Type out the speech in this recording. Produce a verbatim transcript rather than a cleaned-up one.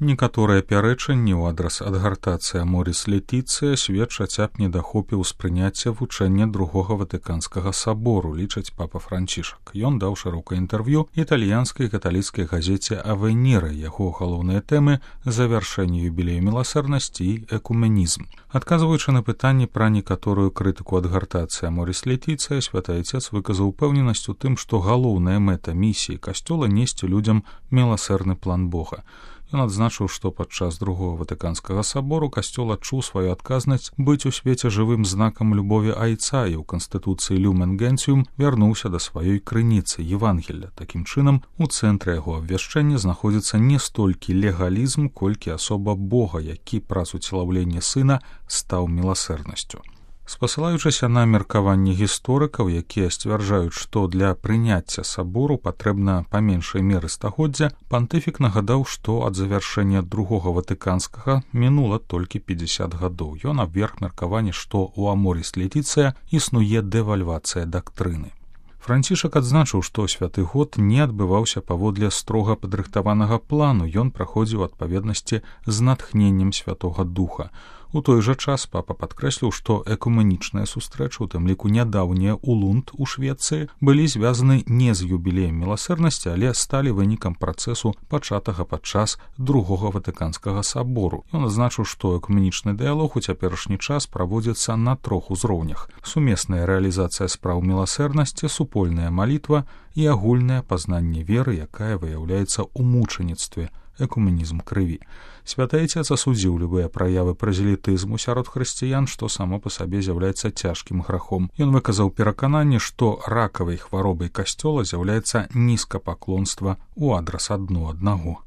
Некаторыя пярэчанні ў адрас адгартацыі Аморіс Летіцыя сведчаць аб недахопе ўспрыняцця вучэння другога ватыканскага сабору, лічыць папа Францішак. Ён даў шырокае інтэрв'ю італьянскай каталіцкай газеце «Авеніры». Яго галоўныя тэмы – завяршэнне юбілею міласэрнасці і экуменізм. Адказваючы на пытанні пра некаторую крытыку адгартацыі Аморіс Летіцыя, святы Айцец выказаў упэўненасць у тым, што галоўная мэта місіі касцёла несці людзям міласэрны план Бога. Ён адзначыў, што падчас другога ватыканскага сабору касцёл адчуў сваю адказнасць быць у свеце жывым знакам любові Айца і ў канстытуцыі «Люмен Генціум» вярнуўся да сваёй крыніцы Евангелля. Такім чынам, у цэнтры яго абвяшчэння знаходзіцца не столькі легалізм, колькі асоба Бога, які праз уцелаўленне Сына стаў міласэрнасцю. Спасылаючыся на меркаванні гісторыкаў, якія сцвярджаюць, што для прыняцця сабору патрэбна па меншай меры стагоддзя, пантыфік нагадаў, што ад завяршэння другога ватыканскага мінула толькі пятьдесят гадоў. Ён абверг меркаванне, што ў Аморіс Летіцыя існуе дэвальвацыя дактрыны. Францішак адзначыў, што святы год не адбываўся паводле строга падрыхтаванага плану, ён праходзіў у адпаведнасці з натхненнем Святога Духа. У той жа час папа падкрэсліў, што экуменічныя сустрэчы, у тым ліку нядаўнія ў Лунд у Швецыі, былі звязаны не з юбілеем міласэрнасці, але сталі вынікам працэсу, пачатага падчас другога ватыканскага сабору. Ён адзначыў, што экуменічны дыялог у цяперашні час праводзіцца на трох узроўнях: сумесная рэалізацыя спраў міласэрнасці, супольная малітва і агульнае пазнанне веры, якая выяўляецца ў мучаніцтве, экуменізм крыві. Святы Айцец асудзіў любыя праявы празелітызму сярод хрысціян, што само па сабе з'яўляецца цяжкім грахом. Ён выказаў перакананне, што ракавай хваробай касцёла з'яўляецца нізкапаклонства ў адрас адно аднаго.